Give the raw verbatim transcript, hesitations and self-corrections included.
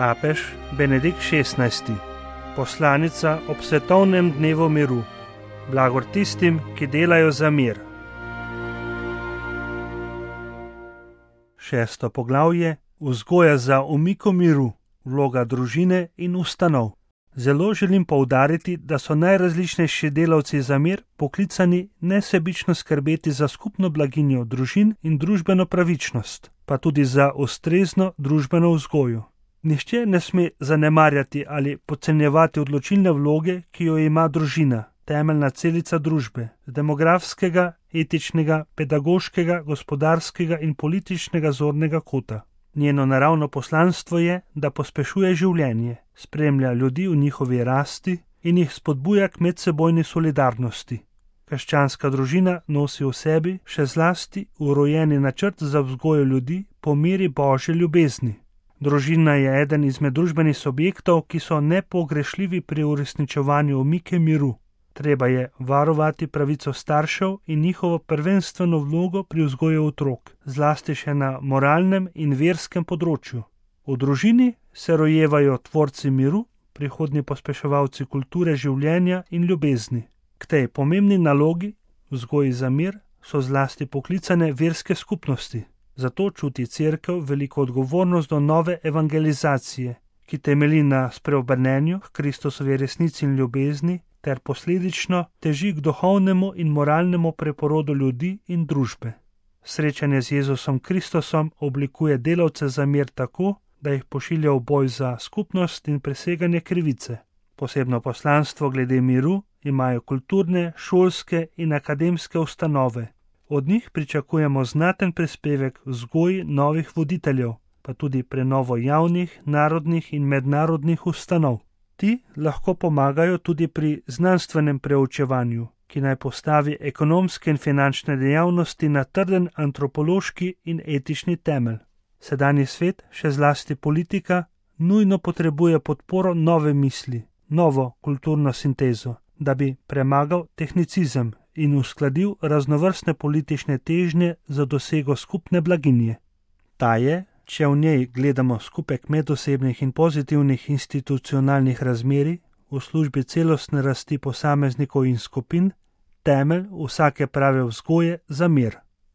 Papež Benedikt šestnajsti. Poslanica ob svetovnem dnevu miru. Blagor tistim, ki delajo za mir. Šesto poglavje. Vzgoja za omiko miru, vloga družine in ustanov. Zelo želim poudariti, da so najrazličnejši delavci za mir poklicani nesebično skrbeti za skupno blaginjo družin in družbeno pravičnost, pa tudi za ustrezno družbeno vzgojo. Nihče ne sme zanemarjati ali podcenjevati odločilne vloge, ki jo ima družina, temeljna celica družbe, z demografskega, etičnega, pedagoškega, gospodarskega in političnega zornega kota. Njeno naravno poslanstvo je, da pospešuje življenje, spremlja ljudi v njihovi rasti in jih spodbuja k medsebojni solidarnosti. Krščanska družina nosi v sebi še zlasti urojeni načrt za vzgojo ljudi po meri Božje ljubezni. Družina je eden izmed družbenih subjektov, ki so nepogrešljivi pri uresničevanju omike miru. Treba je varovati pravico staršev in njihovo prvenstveno vlogo pri vzgoji otrok, zlasti še na moralnem in verskem področju. V družini se rojevajo tvorci miru, prihodnji pospeševalci kulture življenja in ljubezni. K tej pomembni nalogi, vzgoji za mir, so zlasti poklicane verske skupnosti. Zato čuti Cerkev veliko odgovornost do nove evangelizacije, ki temelji na spreobrnenju k Kristusovi resnici in ljubezni, ter posledično teži k duhovnemu in moralnemu preporodu ljudi in družbe. Srečanje z Jezusom Kristusom oblikuje delavce za mir tako, da jih pošilja v boj za skupnost in preseganje krivice. Posebno poslanstvo glede miru imajo kulturne, šolske in akademske ustanove. Od njih pričakujemo znaten prispevek vzgoji novih voditeljev, pa tudi prenovo javnih, narodnih in mednarodnih ustanov. Ti lahko pomagajo tudi pri znanstvenem preučevanju, ki naj postavi ekonomske in finančne dejavnosti na trden antropološki in etični temelj. Sedanji svet, še zlasti politika, nujno potrebuje podporo nove misli, novo kulturno sintezo, da bi premagal tehnicizem in uskladil raznovrstne politične težnje za dosego skupne blaginje. Ta je, če v njej gledamo skupek medosebnih in pozitivnih institucionalnih razmerij v službi celostne rasti posameznikov in skupin, temelj vsake prave vzgoje za mir.